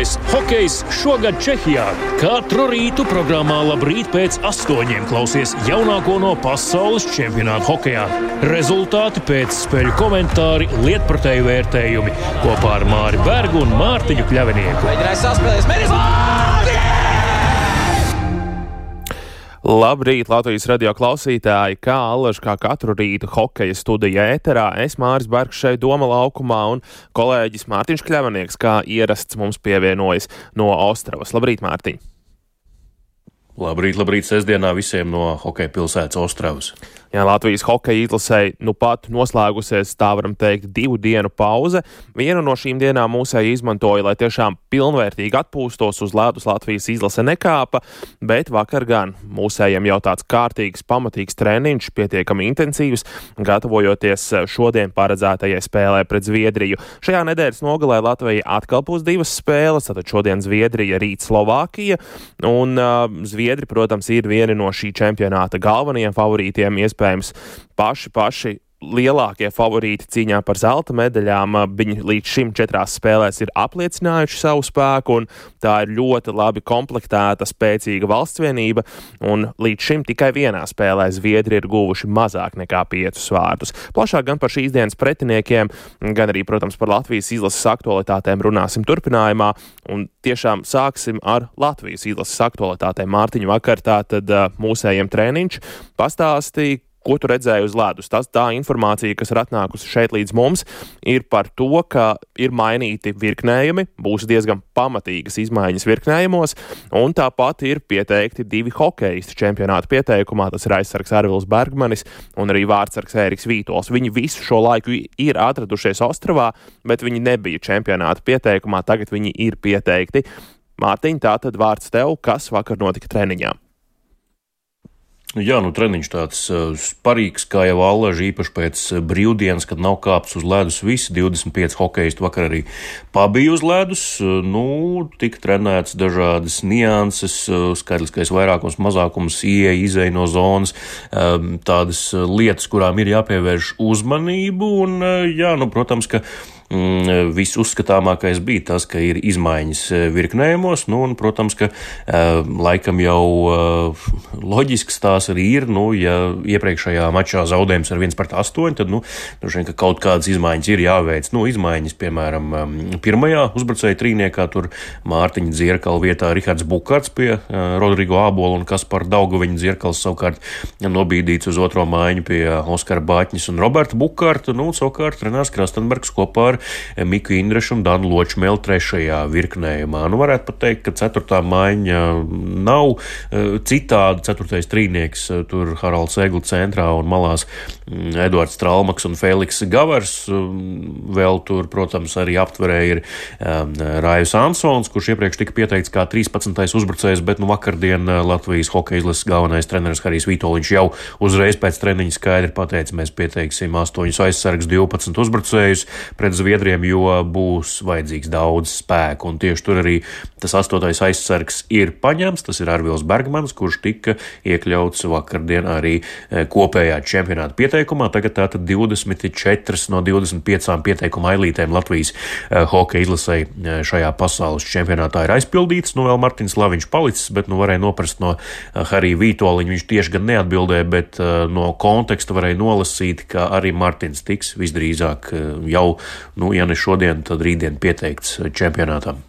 Aktuālais hokejs šogad Čehijā. Katru rītu programmā Labrīt pēc 8 klausies jaunāko no pasaules čempionāta hokejā. Rezultāti, pēcspēļu komentāri, lietpratēju vērtējumi kopā ar Māri Bergu un Mārtiņu Kļavinieku. Mēģinājis saspēlēs, Labrīt, Latvijas radio klausītāji, kā allaž kā katru rītu hokeja studija ēterā. Es Māris Bergs šeit Doma laukumā un kolēģis Mārtiņš Kļavinieks, kā ierasts mums pievienojas no Ostravas. Labrīt, Mārtiņ! Labrīt, sestdienā visiem no hokeja pilsētas Ostravas. Jā, Latvijas hokeja izlasei nu pat noslēgusies, tā varam teikt, 2 dienu pauze. Vienu no šīm dienām mūsēji izmantoja, lai tiešām pilnvērtīgi atpūstos, uz ledus Latvijas izlase nekāpa, bet vakar gan mūsējiem jau tāds kārtīgs, pamatīgs treniņš, pietiekami intensīvs, gatavojoties šodien paredzētajai spēlē pret Zviedriju. Šajā nedēļas nogalē Latvija atkal būs 2 spēles, tātad šodien Zviedrija, rīt Slovākija, un Zviedri, protams, ir vieni no šī čempionāta galvenajiem favorītiem, iespējams paši lielākie favorīti cīņā par zelta medaļām. Viņi līdz šim 4 spēlēs ir apliecinājuši savu spēku, un tā ir ļoti labi komplektēta, spēcīga valsts vienība, un līdz šim tikai vienā spēlē Zviedri ir guvuši mazāk nekā 5 vārdus. Plašāk gan par šīs dienas pretiniekiem, gan arī, protams, par Latvijas izlases aktualitātēm runāsim turpinājumā, un tiešām sāksim ar Latvijas izlases aktualitātēm. Mārtiņa, vakar tātad mūsējiem treniņš, pastāstīja, ko tu redzēji uz ledus? Tā informācija, kas ir atnākusi šeit līdz mums, ir par to, ka ir mainīti virknējumi, būs diezgan pamatīgas izmaiņas virknējumos, un tāpat ir pieteikti 2 hokeisti čempionāta pieteikumā. Tas ir aizsargs Arvils Bergmanis un arī vārtsargs Ēriks Vītols. Viņi visu šo laiku ir atradušies Ostravā, bet viņi nebija čempionāta pieteikumā, tagad viņi ir pieteikti. Mārtiņ, tātad vārds tev, kas vakar notika treniņā? Jā, treniņš tāds sparīgs, kā jau allaž, īpaši pēc brīvdienas, kad nav kāpts uz ledus visi 25 hokeisti vakar arī pabija uz ledus. Tika trenēts dažādas nianses, skaitliskais vairākums, mazākums, ieeja, izeja no zonas, tādas lietas, kurām ir jāpievērš uzmanību, un, protams, ka visuzskatāmākais bija tas, ka ir izmaiņas virknējumos, un, protams, ka laikam jau loģisks tās arī ir, ja iepriekšējā mačā zaudējums ar 1-8, tad, droši vien, ka kaut kādas izmaiņas ir jāveic. Izmaiņas, piemēram, pirmajā uzbrucēja trīniekā, tur Mārtiņa Dzierkala vietā Rihards Bukarts pie Rodrigo Ābola un Kaspar Daugaviņa Dzierkals savukārt nobīdīts uz otro maiņu pie Oskara Bāķņas un Roberta Bukarta, savukārt Renārs Krastenbergs kopā ar Miku Indrešu un Danu Ločmeli 3. virknējumā. Varētu pat teikt, ka 4. maiņa nav citāda. 4. trīnieks, tur Haralds Egli centrā un malās Eduards Tralmaks un Feliks Gavars. Vēl tur, protams, arī aptverē ir Rājus Ansons, kurš iepriekš tika pieteikts kā 13. uzbrucējs, bet vakardien Latvijas hokeja izlases galvenais treneris Harijs Vītoliņš jau uzreiz pēc treniņa skaidri pateica, mēs pieteiksim 8 aizsargus, 12 uzbrucējus pret Zviedriem, jo būs vajadzīgs daudz spēku, un tieši tur arī tas 8. aizsargs ir paņemts, tas ir Arvils Bergmanis, kurš tika iekļauts vakardien arī kopējā čempionāta pieteikumā. Tagad tātad 24 no 25 pieteikuma ailītēm Latvijas hokeja izlasei šajā pasaules čempionātā ir aizpildīts. Vēl Martins Laviņš palicis, bet varēja noprast no Harija Vītoliņa, viņš tieši gan neatbildēja, bet no konteksta varēja nolasīt, ka arī Martins tiks visdrīzāk jau, ja ne šodien, tad rītdien pieteikts čempionātam.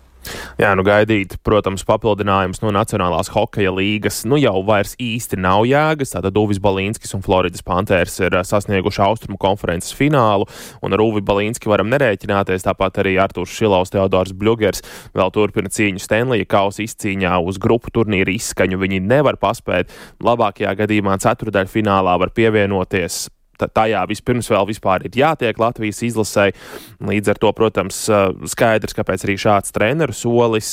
Jā, gaidīt, protams, papildinājums no Nacionālās hokeja līgas jau vairs īsti nav jēgas. Tātad Uvis Balīnskis un Floridas Panthers ir sasnieguši Austrumu konferences finālu, un ar Uvi Balīnski varam nerēķināties. Tāpat arī Artūrs Šilovs, Teodors Bļugers vēl turpina cīņu Stenlija kausa izcīņā uz grupu turnīra izskaņu. Viņi nevar paspēt. Labākajā gadījumā ceturdaļfinālā var pievienoties. Tajā vispirms vēl vispār ir jātiek Latvijas izlasei. Līdz ar to, protams, skaidrs, kāpēc arī šāds treneru solis.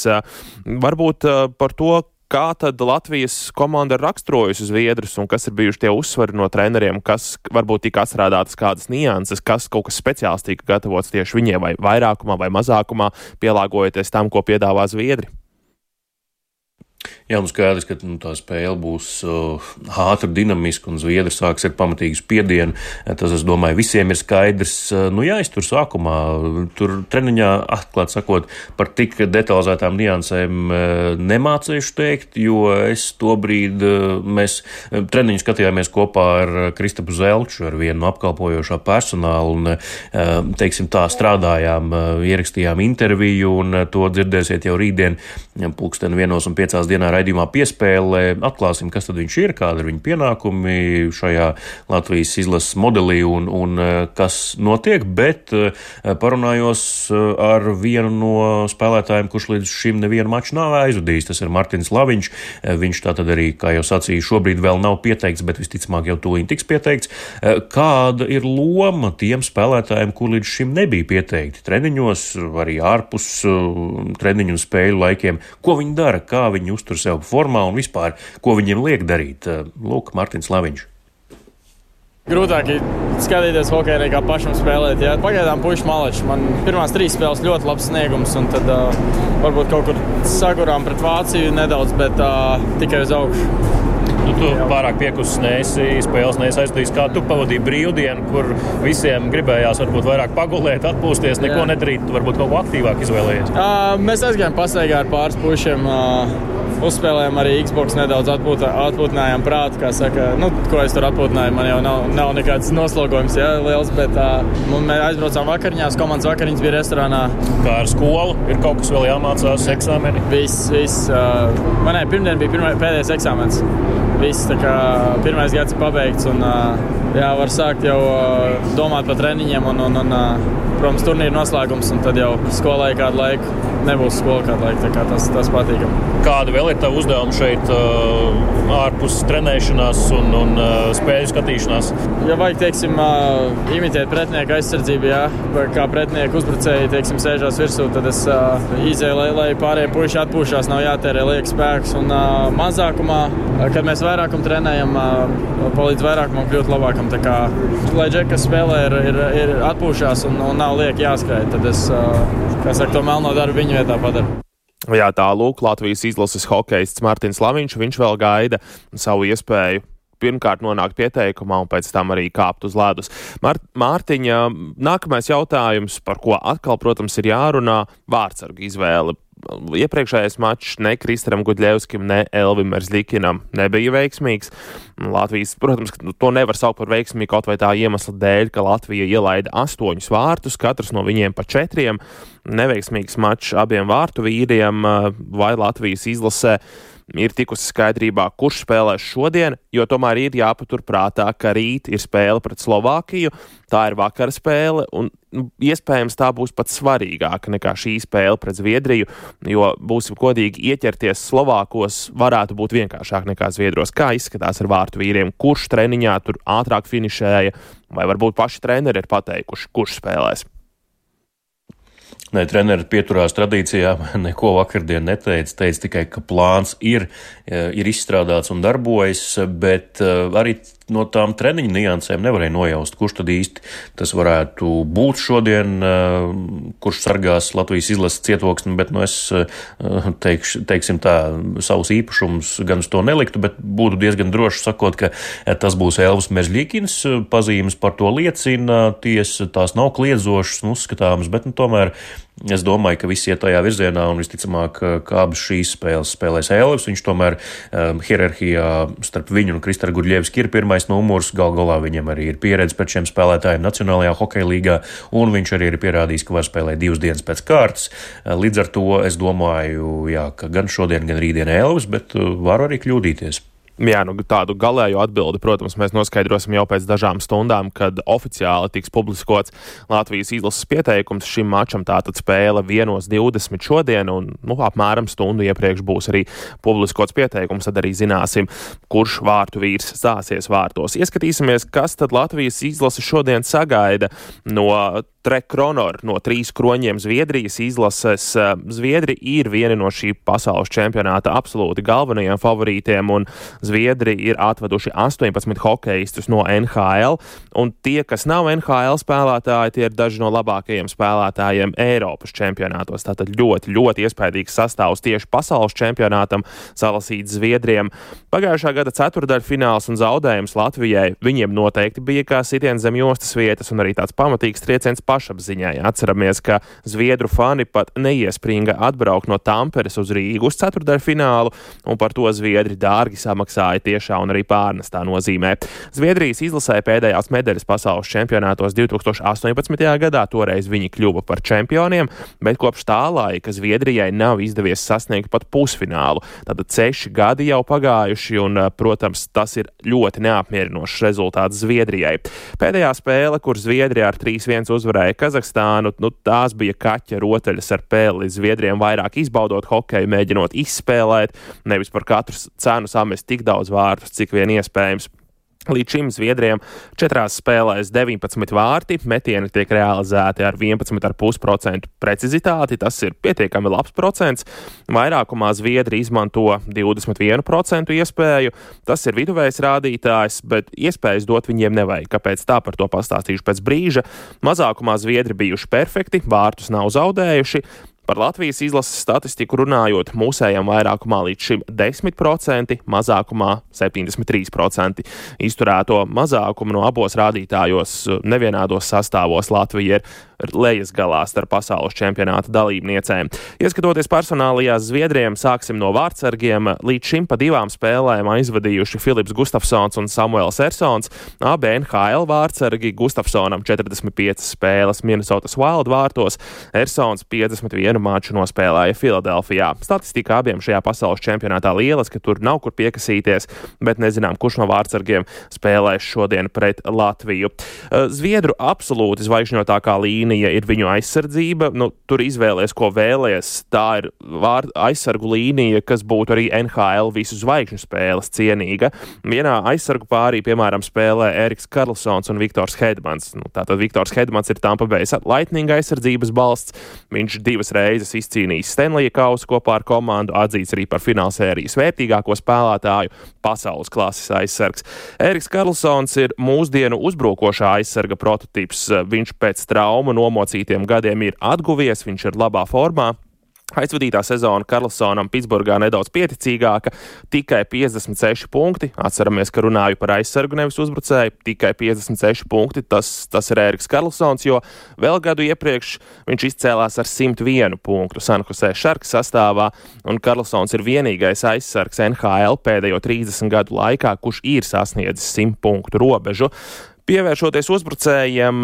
Varbūt par to, kā tad Latvijas komanda ir raksturojusi Zviedrus un kas ir bijuši tie uzsvari no treneriem, kas varbūt tika atstrādātas kādas nianses, kas kaut kas speciāls tika gatavots tieši viņiem vai vairākumā vai mazākumā, pielāgojoties tam, ko piedāvā Zviedri. Jā, skaidrs, ka tā spēle būs ātra, dinamiska un zviedri sāks ar pamatīgu spiedienu. Tas, es domāju, visiem ir skaidrs. Jāiztur sākumā. Tur treniņā, atklāt sakot, par tik detalizētām niansēm nemācīšu teikt, jo es tobrīd mēs treniņu skatījāmies kopā ar Kristapu Zelču, ar vienu no apkalpojošā personāla un, teiksim tā, strādājām, ierakstījām interviju un to dzirdēsiet jau rītdien 1:05 raidījumā piespēlē. Atklāsim, kas tad viņš ir, kāda ir viņa pienākumi šajā Latvijas izlases modelī un kas notiek, bet parunājos ar vienu no spēlētājiem, kurš līdz šim nevienu maču nav aizvadījis. Tas ir Martins Laviņš. Viņš tātad arī, kā jau sacīju, šobrīd vēl nav pieteikts, bet visticamāk jau tūlīt tiks pieteikts. Kāda ir loma tiem spēlētājiem, kur līdz šim nebija pieteikti treniņos, arī ārpus treniņu un spēļu laikiem? Ko viņi dara, kā viņi uztur sev formā un vispār, ko viņiem liek darīt? Lūk, Martins Laviņš. Grūtāk ir skatīties hokeju nekā pašam spēlēt. Jā. Pagaidām puiši maleči. Man pirmās 3 spēles ļoti labs sniegums, un tad varbūt kaut kur sagurām pret Vāciju nedaudz, bet tikai uz augšu. Tu pārāk piekusis neesi, spēles neiesaistījis, kā tu pavadīji brīvdienu, kur visiem gribējās varbūt vairāk pagulēt, atpūsties, neko nedarīt, tu varbūt kaut ko aktīvāk izvēlējies. Mēs aizgājām pastaigā ar pāris pušiem, uzspēlējām arī Xbox nedaudz, atpūtinājām prātu, kā saka, ko es tur atpūtināju, man jau nav nekāds noslogojums, liels, bet mēs aizbraucām vakariņās, komandas vakariņas bija restorānā. Kā ar skolu, ir kaut kas vēl jāmācās, eksāmeni? Viss, pirmdien bija pēdējais eksāmens. Viss, tā kā pirmais gads ir pabeigts un var sākt jau domāt par treniņiem un protams, turnīru noslēgums, un tad jau skolai kādu laiku nebūs skola kādu laiku, tā kā tas patīkam. Kāda vēl ir tava uzdevuma šeit ārpus trenēšanās un spēļu skatīšanās? Ja vajag, teiksim, imitēt pretinieku aizsardzību, kā pretinieku uzbrucēji, teiksim, sēžās virsū, tad es izēju, lai pārējie puiši atpūšās, nav jātērē liek spēks, un mazākumā, kad mēs vairākumu trenējam, palīdz vairākumam kļūt labākam, tā kā, lai džekas spēlē ir atpūšās un nav liek jāskrēj, tad es, to melno darbu viņa vietā padaru. Jā, tā lūk, Latvijas izlases hokejists Martins Laviņš, viņš vēl gaida savu iespēju pirmkārt nonākt pieteikumā un pēc tam arī kāpt uz ledus. Mārtiņa, nākamais jautājums, par ko atkal, protams, ir jārunā, vārdsargu izvēle. Iepriekšējais mačs ne Kristaram Gudļevskim, ne Elvim Merzļikinam nebija veiksmīgs. Latvijas, protams, to nevar saukt par veiksmīgu kaut vai tā iemesla dēļ, ka Latvija ielaida 8 vārtus, katrs no viņiem pa 4. Neveiksmīgs mačs abiem vārtu vīriem, vai Latvijas izlasē ir tikusi skaidrībā, kurš spēlēs šodien, jo tomēr ir jāpatur prātā, ka rīt ir spēle pret Slovākiju, tā ir vakara spēle, un iespējams tā būs pat svarīgāka nekā šī spēle pret Zviedriju, jo būsim godīgi, ieķerties Slovākos varētu būt vienkāršāk nekā Zviedros. Kā izskatās ar vārtu vīriem? Kurš treniņā tur ātrāk finišēja, vai varbūt paši treneri ir pateikuši, kurš spēlēs? Nē, treneri pieturās tradīcijām, neko vakardien neteica, teica tikai, ka plāns ir izstrādāts un darbojas, bet arī no tām treniņu niansēm nevarēja nojaust, kurš tad īsti tas varētu būt šodien, kurš sargās Latvijas izlases cietoksni, bet es teiksim tā, savus īpašumus gan uz to neliktu, bet būtu diezgan droši sakot, ka tas būs Elvis Merzļikins, pazīmes par to liecina, tiesa tās nav kliedzošas un uzskatāmas, bet tomēr es domāju, ka viss iet tajā virzienā un visticamāk, ka abas šīs spēles spēlēs Elvis. Viņš tomēr hierarhijā starp viņu un Kristaru Gudļevski ir pirmais numurs. Galā viņam arī ir pieredze pret šiem spēlētājiem Nacionālajā hokeja līgā, un viņš arī ir pierādījis, ka var spēlēt 2 dienas pēc kārtas. Līdz ar to es domāju, ka gan šodien, gan rītdien Elvis, bet varu arī kļūdīties. Jā, tādu galēju atbildi, protams, mēs noskaidrosim jau pēc dažām stundām, kad oficiāli tiks publiskots Latvijas izlases pieteikums šim mačam. Tātad spēle 1:20 šodien, un apmēram stundu iepriekš būs arī publiskots pieteikums, tad arī zināsim, kurš vārtu vīrs stāsies vārtos. Ieskatīsimies, kas tad Latvijas izlase šodien sagaida no Trekronor no 3 kroņiem Zviedrijas izlases. Zviedri ir vieni no šī pasaules čempionāta absolūti galvenajiem favorītiem, un Zviedri ir atveduši 18 hokeistus no NHL, un tie, kas nav NHL spēlētāji, tie ir daži no labākajiem spēlētājiem Eiropas čempionātos. Tātad ļoti, ļoti iespaidīgs sastāvs tieši pasaules čempionātam salasīts Zviedriem. Pagājušā gada ceturtdaļfināls un zaudējums Latvijai viņiem noteikti bija kā sitiens zem jostas vietas un arī tāds pamatīgs trieciens pašapziņai. Atceramies, ka zviedru fani pat neiespringa atbraukt no Tamperes uz Rīgu uz ceturtdaļfinālu, un par to zviedri dārgi samaksāja tiešā un arī pārnestā nozīmē. Zviedrijas izlasē pēdējās medaļas pasaules čempionātos 2018. gadā, toreiz viņi kļuva par čempioniem, bet kopš tā laika Zviedrijai nav izdevies sasniegt pat pusfinālu. Tātad 6 gadi jau pagājuši, un, protams, tas ir ļoti neapmierinošs rezultāts Zviedrijai. Pēdējā spēle, kur Zviedrija ar 3-1 uzvarēja Kazahstānu, tās bija kaķa rotaļas ar pēli. Zviedriem vairāk izbaudot hokeju, mēģinot izspēlēt, nevis par katru cenu samest tik daudz vārtus, cik vien iespējams. Līdz šim Zviedriem 4 spēlēs 19 vārti, metieni tiek realizēti ar 11,5% precizitāti, tas ir pietiekami labs procents. Vairākumā Zviedri izmanto 21% iespēju, tas ir viduvējs rādītājs, bet iespējas dot viņiem nevajag. Kāpēc tā, par to pastāstīšu pēc brīža. Mazākumā Zviedri bijuši perfekti, vārtus nav zaudējuši. Par Latvijas izlases statistiku runājot, mūsējam vairākumā līdz šim 10%, mazākumā 73%. Izturēto mazākumu no abos rādītājos nevienādos sastāvos Latvija ir lejas galā starp pasaules čempionāta dalībniecēm. Ieskatoties personālajās Zviedriem, sāksim no vārtsargiem. Līdz šim pa 2 spēlēm aizvadījuši Filips Gustafsons un Samuels Ersons. Abi NHL vārtsargi, Gustafsonam 45 spēles Minnesotas Wild vārtos, Ersons 51 maču nospēlēja Filadelfijā. Statistika abiem šajā pasaules čempionātā lielas, ka tur nav kur piekasīties, bet nezinām, kurš no vārtsargiem spēlēs šodien pret Latviju. Zviedru absolūti zvaigžņotākā līnija ir viņu aizsardzība. Tur izvēlies, ko vēlies. Tā ir aizsargu līnija, kas būtu arī NHL visu zvaigžņu spēles cienīga. Vienā aizsargu pārī, piemēram, spēlē Eriks Karlsons un Viktors Hedmans. Tātad Viktors Hedmans ir Tampa Bay Lightning aizsardzības balsts. Viņš 2 reizes izcīnījis Stanleya kausu kopā ar komandu, atzīts arī par finālsērijas vērtīgāko spēlētāju, pasaules klases aizsargs. Eriks Karlsons ir mūsdienu uzbrukošā aizsarga prototips. Viņš pēc traumu nomocītiem gadiem ir atguvies, viņš ir labā formā. Aizvadītā sezona Karlsonam Pitsburgā nedaudz pieticīgāka, tikai 56 punkti. Atceramies, ka runāju par aizsargu, nevis uzbrucēju. Tikai 56 punkti, tas ir Eriks Karlsons, jo vēl gadu iepriekš viņš izcēlās ar 101 punktu San Jose Sharks sastāvā, un Karlsons ir vienīgais aizsargs NHL pēdējo 30 gadu laikā, kurš ir sasniedzis 100 punktu robežu. Pievēršoties uzbrucējiem,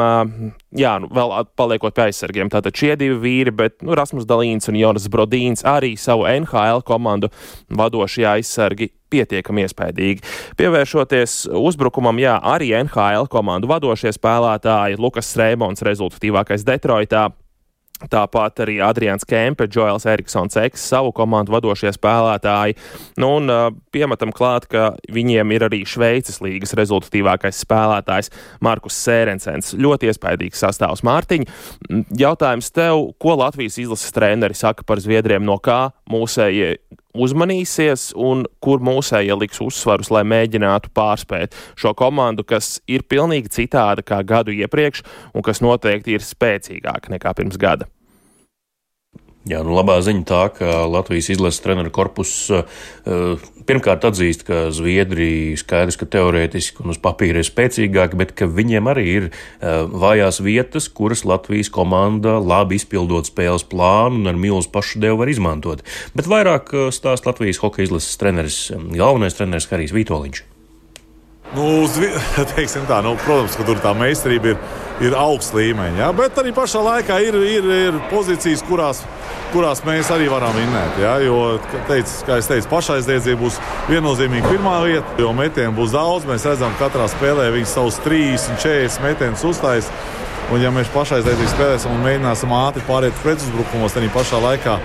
vēl paliekot pie aizsargiem, tātad šie 2 vīri, bet Rasmus Dalīns un Jonas Brodīns arī savu NHL komandu vadošie aizsargi pietiekami iespaidīgi. Pievēršoties uzbrukumam, arī NHL komandu vadošie spēlētāji, Lukas Reimons rezultatīvākais Detroitā. Tāpat arī Adrians Kempe, Joels Eriksons Eks, savu komandu vadošie spēlētāji. Un piemetam klāt, ka viņiem ir arī Šveices līgas rezultatīvākais spēlētājs Markus Sērensens. Ļoti iespaidīgs sastāvs. Mārtiņ, jautājums tev, ko Latvijas izlases treneri saka par Zviedriem, no kā mūsējie uzmanīsies un kur mūsējie liks uzsvarus, lai mēģinātu pārspēt šo komandu, kas ir pilnīgi citāda kā gadu iepriekš un kas noteikti ir spēcīgāka nekā pirms gada? Jā, labā ziņa tā, ka Latvijas izlases treneru korpus pirmkārt atzīst, ka Zviedri skaidrs, ka teorētiski un uz papīra ir spēcīgāki, bet ka viņiem arī ir vājās vietas, kuras Latvijas komanda labi izpildot spēles plānu un ar milzu pašdevu var izmantot. Bet vairāk stāst Latvijas hokeja izlases treneris, galvenais treneris Harijs Vitoļņš. Teiksim tā, protams, ka tur tā meistarība ir augsts līmeņa, bet arī pašā laikā ir pozīcijas, kurās mēs arī varam vinnēt, jo, kā es teicu, pašaizliedzība būs viennozīmīgi pirmā vieta, jo metienu būs daudz, mēs redzam, katrā spēlē viņi savus 30, 40 metienus uztais, un ja mēs pašaizliedzīgi spēlēsim un mēģināsim ātri pāriet pretuzbrukumos, tad pašā laikā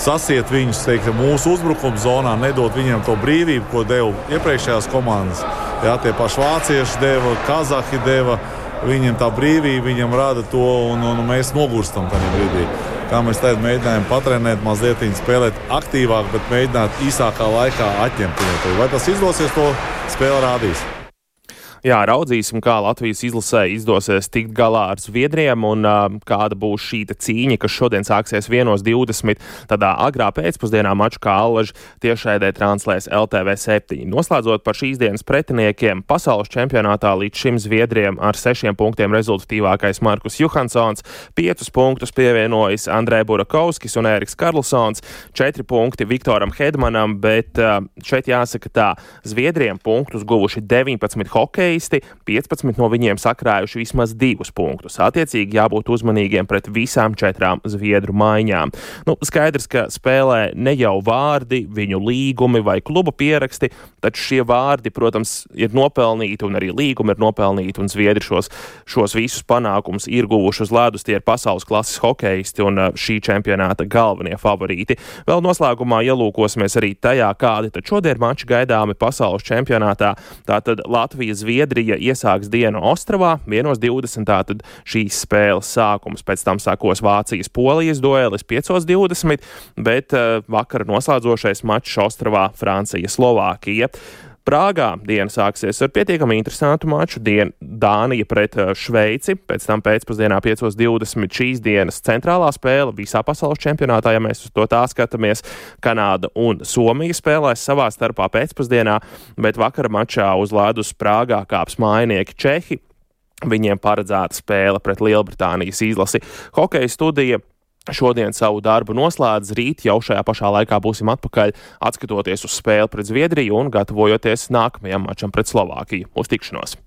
sasiet viņus, mūsu uzbrukuma zonā, nedot viņiem to brīvību, ko deva iepriekšējās komandas. Tie paši vācieši deva, kazahi deva, viņiem tā brīvība, viņam rada to, un mēs nogurstam tajā brīdī. Kā mēs tagad mēģinājām patrenēt, mazliet spēlēt aktīvāk, bet mēģināt īsākā laikā atņemt viņu. Vai tas izdosies, to spēle rādīs. Jā, raudzīsim, kā Latvijas izlasē izdosies tikt galā ar Zviedriem un kāda būs šī cīņa, kas šodien sāksies 1:20. Tādā agrā pēcpusdienā maču, kā Allaži tiešraidē translēs LTV7. Noslēdzot par šīs dienas pretiniekiem, pasaules čempionātā līdz šim Zviedriem ar 6 punktiem rezultatīvākais Markus Johansons, 5 punktus pievienojas Andrē Burakovskis un Ēriks Karlsons, 4 punkti Viktoram Hedmanam, bet šeit jāsaka tā, Zviedriem punktus guvuši 19 hokeji, 15 no viņiem sakrājuši vismaz 2 punktus. Attiecīgi jābūt uzmanīgiem pret visām 4 zviedru maiņām. Skaidrs, ka spēlē ne jau vārdi, viņu līgumi vai kluba pieraksti, taču šie vārdi, protams, ir nopelnīti un arī līgumi ir nopelnīti, un zviedri šos visus panākumus ir guvuši uz ledus. Tie ir pasaules klases hokeisti un šī čempionāta galvenie favorīti. Vēl noslēgumā ielūkosimies arī tajā, kādi tad šodien mači gaidāmi pasaules čempionātā. Tātad Latvija-Zviedrija iesāks dienu Ostravā, 1:20. Tātad šīs spēles sākums. Pēc tam sākos Vācijas-Polijas duelis 5:20, bet vakar noslēdzošais mačs Ostravā Francija-Slovākija. Prāgā diena sāksies ar pietiekami interesantu maču. Dānija pret Šveici, pēc tam pēcpusdienā 5:20 šīs dienas centrālā spēle visā pasaules čempionātā, ja mēs uz to tā skatāmies. Kanāda un Somija spēlēs savā starpā pēcpusdienā, bet vakara mačā uz ledus Prāgā kāps mājinieki Čehi. Viņiem paredzēta spēle pret Lielbritānijas izlasi. Hokeja studija šodien savu darbu noslēdz, rīt jau šajā pašā laikā būsim atpakaļ, atskatoties uz spēli pret Zviedriju un gatavojoties nākamajam mačam pret Slovākiju. Uz tikšanos!